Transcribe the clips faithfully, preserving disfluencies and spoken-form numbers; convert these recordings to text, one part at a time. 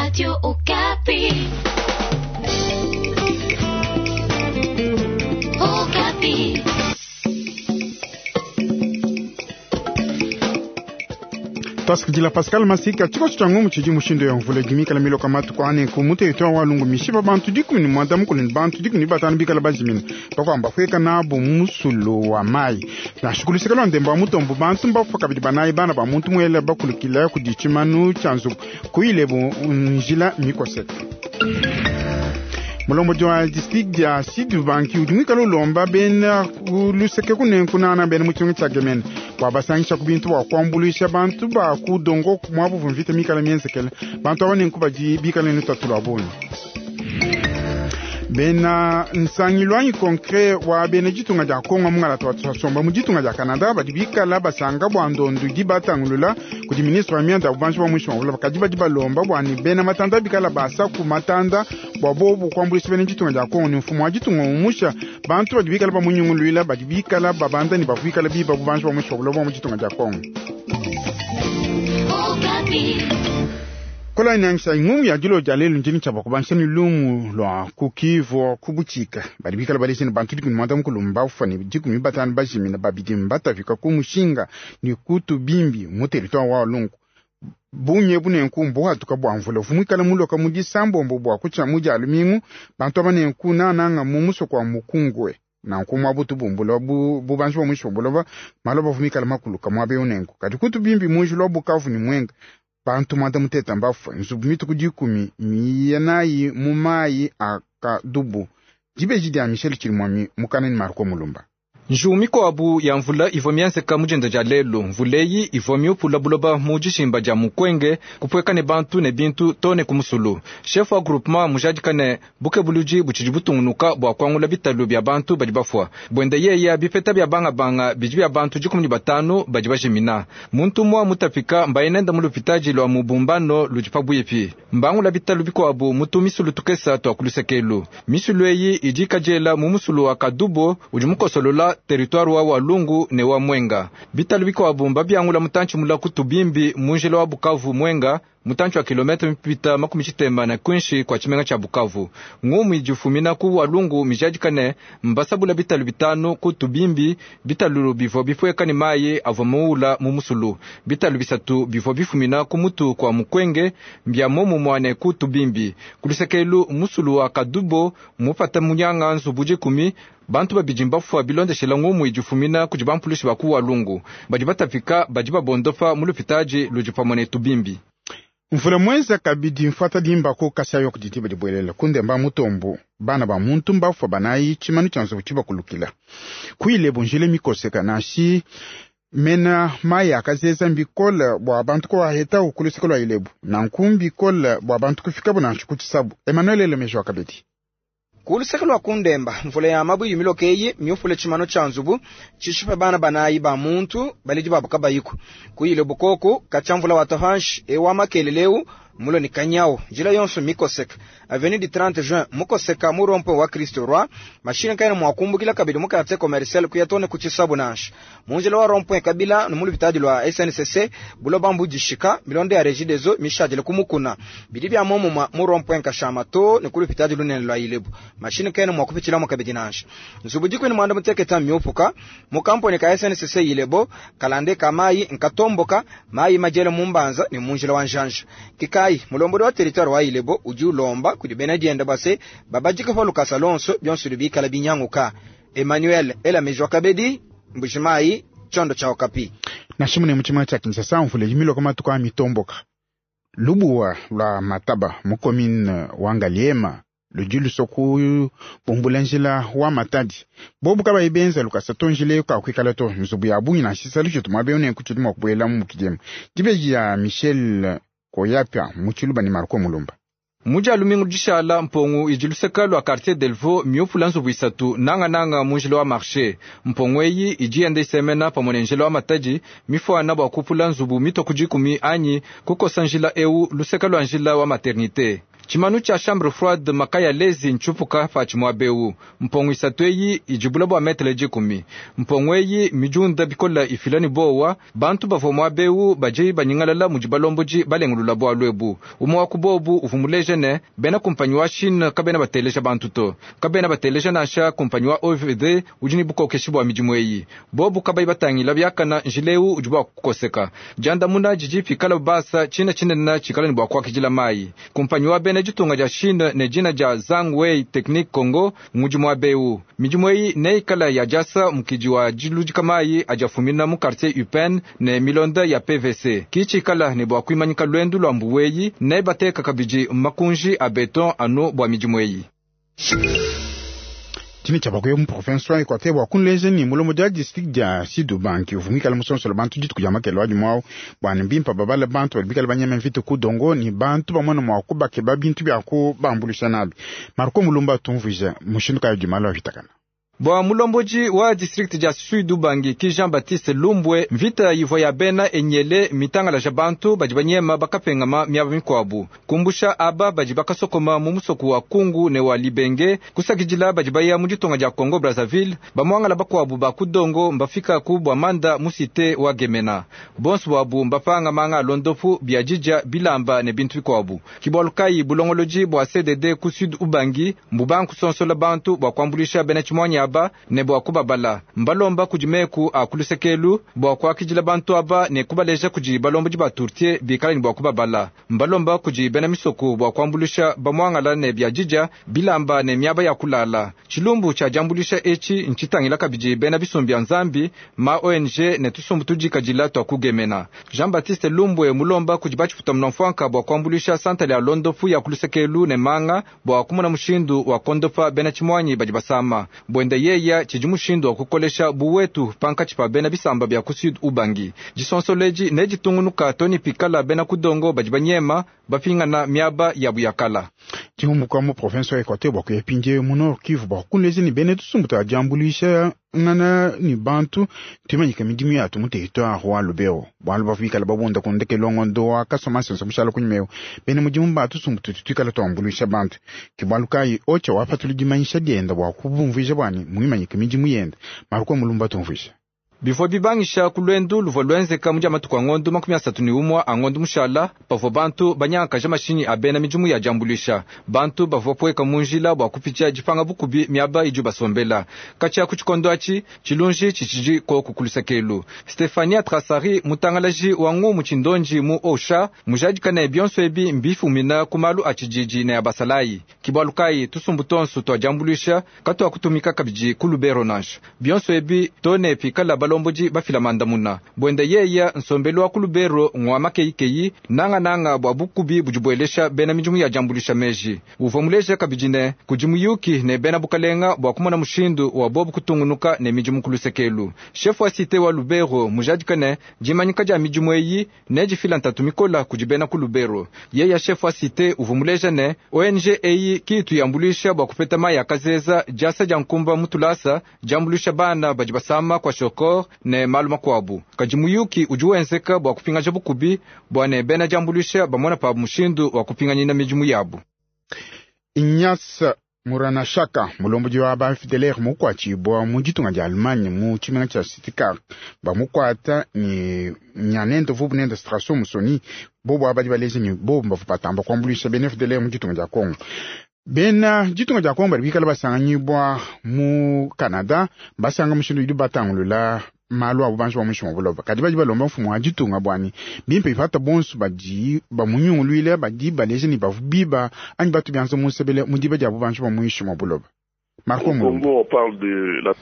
Radio Okapi. Okapi. Twasikidila Pascal Masika tshikoso tshia ngumu tshidi mushindu ya mvula dimikala miloka matuku ane ku mu territoire wa Lungu mishipa bantu dikumi ne mwanda mukulu ne bantu dikumi ne batanu bikala bajimina bakwamba kueka nabo mu musulu wa mayi nansha kuluseka lwa ndembo wa mutombo bantu mbafa kabidi banayi bana ba muntu muela bakulukila kudi tshimanu tshia nzubu kuilebu njila mikoseka mulombodi wa district dia Sud Ubangi udi muikale ulomba bena luseke kunenkunana bena mu tshimenga tshia Gemena bua basangisha ku bintu bua kuambuluisha bantu ba ku dongo muabu mvita mikale mienzekele bantu aba nenku badi bikale ne lutatu lua bungi bena nsangilu anyi concret wa bena ditunga dia Kongo mungalata wa tshiasomba mu ditunga dia Canada badi bikala basanga bua ndondu idi batangulula kudi ministre wa mianda ya bubanji bua muinshi mua buloba kadi badi balomba bua ne bena matanda bikala basa ku matanda bua bobu kuambuluisha bena ditunga dia Kongo ne mfumu wa ditunga umusha bantu badi bikala bamunyunguluila badi bikala babanda ne bakuikala biba bubanji bua muinshi mua buloba mu ditunga dia Kongo. Okapi. Kola inangisha ngumu ya dilo dia lelu ndini tshia bakubansha ni lumu lwa kukivu kubuchika badi bikala balesha bantu dikumi mwanda mukulu mbafa ne dikumi batanu bajimina babidi mbatafika ku mushinga ni kutu bimbi mu territoire wa Walungu bunye bunenku mbuhatuka bua mvula vumwikala muloka mu disambombo bua kutshia mu dia lumingu bantu aba nenku nananga mu musoko wa mukungwe nanku mwabutu bumbula bu bubanji bwa mwisho buloba maloba vumikala makuluka mwabe unenku kadi kutu bimbi munji lwa bukavu ni mwenga bantu mwanda muteta mbafa nzubu mituku dikumi miyenayi mu mayi akadubu dibeji dia Michel Chirimwami mukaneni Marco Mulumba Njuwu mikuabu ya mvula ivua mienzeka mu dinda dia lelu mvula eyi ivua miupula buloba mu dishimba dia mukwenge kupueka ne bantu ne bintu to ne ku musulu chef wa groupement mujadika ne bukebuludi butshidi butungunuka bua kuangula bitalu bia bantu badi bafua buende yeya bipeta bia bangabanga bidi bia bantu dikumi ne batanu badi bajimina muntu umua mutapika mbainenda mu lupitadi lua mubumbano ludi pabuipi mbangula bitalu bikuabu mutu misulu tukesa tua kulusekelu misulu eyi idi ikadiela mu musulu wa kadubo udi mukosolola territoire wa Walungu ne wa Mwenga bitalu bikuabu mbabiangula mutantshi mula kutubimbi munjila wa Bukavu Mwenga mutantshi wa kilomita mipita makumi tshitema na kwinshi kwa tshimenga tshia Bukavu ngumu idifumina ku Walungu mijadikane mbasabula bitalu bitanu ku tubimbi bitalu bivua bipueka ne mayi avua muula mu musulu bitalu bisatu bivua bifumina ku mutu kwa mukwenge mbia momumua ne ku tubimbi kulusekelu musulu wa Kadubo mupata munyanga nzubu dikumi bantu babidi mbafua bilondeshela ngumu idifumina kudi bampulushi ba ku Walungu badi batapika badi babondopa mu lupitadi ludi pamue ne tubimbi mvula mwenza kabidi mfata dimba ko kasha yo kuditi badi bwelela kundemba mutombo bana ba muntu mbafua banayi tshimanu tshia nzubu tshibakulukila kuile bunjile mikoseka nashi mena mayi akazeza mbikola bua bantu kuwaheta ukuluseka lwa ilebu nanku mbikola bua bantu kufikabu nansha kutshisabu Emmanuel Elemejo kabidi kuluseka lwa kundemba mvula ya mabuyi miloka eyi miufule tshimano tshia nzubu tshishipe bana banayi ba muntu baledi babu kabayiku kuyile bukoku katshia mvula wa tahanshi ewa makeleleu mulo ni kanyawo njila yonso mikoseka avenue du trente juin mukoseka mu rond-point wa Kristo Roi mashine kaina mwakumbukila kabidi mu quartier commercial kuyatone ku tshisabu nansha munjila wa rond-point kabila no mu lupitadi lwa S N C C buloba mbudishika milonde ya Regie des Eaux mishadile kumukuna bidi bia momuma mu rond-point kashama to ne ku lupitadi lunene lwa Ilebo mashine kaina mwakupitshila mu kabidi nansha nzubu dikweni mwanda muteketa miupuka mu kamponi ka S N C C Ilebo kalande kamayi nkatomboka mayi majele mumbanza ne munjila wa njanja kikai mulombodi wa territoire wa Ilebo udi ulomba kudi bena dienda base babajika pa lukasa lonso bionso bikala binyanguka Emmanuel Elamejwa Kabedi Mbujimayi chondo cha Okapi nashimune muchima cha Kinshasa mvula yimiloka matuku a mitomboka lubuwa lwa mataba mu commune wa Ngaliema ludi lusoku bumbula njila wa matadi bobu kabayi benza lukasa to njila eyo kakuikala to nzubu ya bungi na tshisalu tshitu muaba eu nenku tshidi mua kubuela mu mukidima dibeji ya Michel Koyapia mu tshiluba ne Marco Mulumba Muja lumingu dishala mpongu idi luseka lua quartier Delvaux miupula nzubu isatu nangananga mu njila wa marché mpongu eyi idi yenda isemena pamue ne njila wa matadi mifuana bua kupula nzubu mitoku dikumi anyi kukosa njila eu luseka lua njila wa maternité Tshimanu tsha chambre froide makaya lezi ntshupuka patshi muaba Mpongo isatu eyi ijibula bua metele dikumi. Mpongo eyi mijunda bikola ifila ni bowa bantu bavua muaba baji banyingalala mudi balomboji balengulula bualu ebu. Umue wa ku bobu uvua muleja ne bena kumpanyi wa Chine kabena bateleja bantu to. Kabena bateleja nansha kumpanyi wa O V D udi ne bukokeshi bua midimu eyi. Bobu kabayi batangila biakana njileu udi bua kukoseka. Jandamuna jiji pikala basa china chinene chikala ni bua kuakidila mai. Kumpanyi wa bena ditunga dia Chine ne dina dia Zhangwei Technique Congo ngudi muaba. Midimu eyi neikala ya jasa mukidi wa diludika mai ajafumina mu quartier Upen ne milonda ya P V C. Kichikala ne bua kuimanyika lwendu lwa mbuweyi ne bateka kabidi makunji a beton anu bua midimu eyi. Tshini tsha bakuye mu province wa Equateur bua kunleja ni mulomo dia district dia Sud-Ubangi uvumikala musonsolo bantu dituku dia makelo adi mwao bua ne bimpa babala bantu badi bikala banyema mvita ku dongo ni bantu bamona mua kubakeba bintu bia kubambulisha nabi. Marco Mulumba tumvuija mushindu kayi dimalo avitakana. Bwa mulomboji wa district dia Sud-Ubangi ki Jean-Baptiste Lumbwe mvita yivwa ya bena enyele mitangala ja bantu badi banyema bakapengama miaba mikwabu kumbusha aba badi bakasokoma mu musoko wa Kungu ne wa Libenge kusakidila badi baya mu ditonga dia Congo Brazzaville bamwangala bakwabu ba kudongo mbafika ku bwa manda mu cité wa Gemena bonso bwabu mbapanga manga londofu bia jija bilamba ne bintu bikwabu kibwalukai bulongoloji bwa C D D ku Sud-Ubangi mbubanku sonsola bantu bwa kwambulisha bena chimwanya aba ne bwa kubabala mbalomba kujimeku akulusekelu bwa kwakijila bantu aba ne kubaleja kuji balomba jiba turtie bikala ni bwa kubabala mbalomba kuji bena misoko bwa kwambulisha bamwangala ne bya jija bilamba ne miaba ya kulala chilumbu cha jambulisha echi nchitangila kabiji bena bisumbi ya Nzambi ma O N G ne tusumbu tujikajila twa kugemena Jean-Baptiste Lumbwe mulomba kujiba chifuta mnamfwanka bwa kwambulisha santale ya londofu ya kulusekelu ne manga bwa kumona mushindu wa kondopa bena chimwanyi bajibasama bwende yeya chiji mushindu wa kukolesha buwetu pankachi pa bena bisamba bya ku Sud-Ubangi jisonsoleji ne jitungunuka toni pikala bena kudongo bajibanyema bapingana miaba ya buyakala chihumbuka mu province wa Equateur bwa kuyepinje mu Nord Kivu bwa kunlezi ni bene tusumbuta jambulisha ngana ni bantu tumanyika midimu yatu mu territoire wa Lubero bwalu bafikala babunda kundeke longo ndoa kasoma senso mushala kunyimeo bene mudimu ba tusumbuta tutikala twambulisha bantu kibwalu kai ocha wapatuli dimanyisha dienda bwa kubumvisha bwani muimanyika midimu yenda maruko mulumba tumvisha Bivua bibangisha kulwendu luvua lwenzeka mu matuku a ngondo makumi asatu ni umwa a ngondo mushala pavua bantu banyangakaja mashinyi a bena midimu ya jambulisha bantu bavua pueka munjila bua kupitia dipanga bukubi miaba idi basombela katshia ku tshikondo atshi tshilunji tshitshidi koku kulusakelu Stefania Trasari mutangalaji wa ngumu tshindonji mu Osha mujadikane bionso ebi mbifumina ku malu a tshididi ne ya basalayi kibwalukayi tusumbu tonso twa jambulisha katwa kutumika kabidi ku Lubero nansha bionso ebi tone pikala balomboji bafila mandamuna bwende yeya nsombelu wa ku Lubero ngwa makeikeyi nanga nanga bwa bukubi bujibwelesha bena midimu ya jambulisha meji uvua muleja kabidi ne kudi muyuki ne bena bukalenga bwa kumona mushindu wa bobu kutungunuka ne midimu kulusekelu chef wa cité wa Lubero mujadika ne dimanyika dia midimu eyi ne difila ntatu mikola kudi bena ku Lubero yeya chef wa cité uvua muleja ne O N G eyi kitu yambulisha bwa kupeta mayi akazeza jasa dia nkumba mutulasa jambulisha bana badi basama kwa shokor ne malu makwabu kadi muyuki udi wenzeka bwa kupingaja bukubi bwa ne bena jambulisha bamona pa mushindu wa kupinganyina midimu yabu Inyasa Muranashaka mulomboji wa ba F D L R mukwachibwa mu ditunga dia Allemagne mu tshimenga tshia Stuttgart bamukwata ni nyanendo vubu nenda Strasso Musoni bobo abadi baleje ni bobo mbavu patamba kwambulisha bena F D L R mu ditunga dia Congo bena ditunga dia Congo bali bikala basanganyibwa mu Canada basanga mushindu idi batangulula malu abo bantu bamushi buloba kadi badi balomba mfumu wa ditunga bwani bimpe ipata bonso badi bamunyungulwile badi baleje ni bavu biba anyi batu byanza musebele mudiba dia bantu bamuishi buloba Marco Mulumba.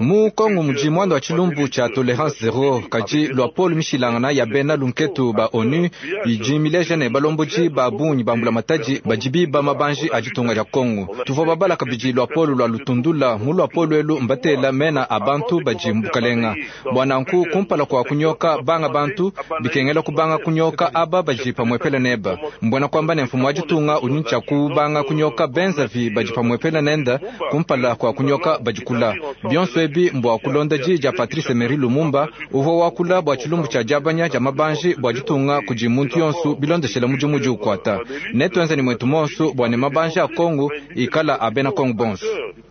Mu Kongo muji mwando wa chilumbu cha tolerance zero kaji lwa Paul Mishilangana ya bena lunketu ba ONU ijimileje ne balomboji ba bunyi bambula mataji bajibi ba mabanji ajitunga ya Kongo tuvua babala kabiji lwa Paul lwa lutundula mu lwa Paul elu mbatela mena abantu baji mbukalenga bwana nku kumpala kwa kunyoka banga bantu bikengela kubanga kunyoka aba baji pamwepele neba mbona kwamba ne mfumo ajitunga unyincha kubanga kunyoka benzavi baji pamwepele nenda kumpala kwa kua kunyoka badikula. Bionso ebi mbua kulonda di dia Patrice Emery Lumumba uvua wakula bua tshilumbu tshia diabanya dia mabanji bua ditunga kudi muntu yonso bilondeshela mudimu udi ukwata. Netuenze ne mwetu monso bua ne mabanji a Kongo ikala a bena Kongo bonso.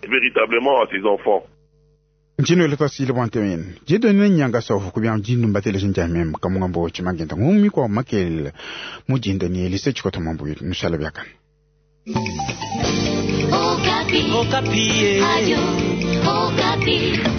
Véritablement à ses enfants. Ntshino ele twasile bwa ntemene didonene nyanga sovu kubya dinumba teleja njamem kamungambo tshimagenda ngumi kwa makel mujinda ni elise tshikota mambo nushala byakana. Okapi. Okapi. Radio Okapi.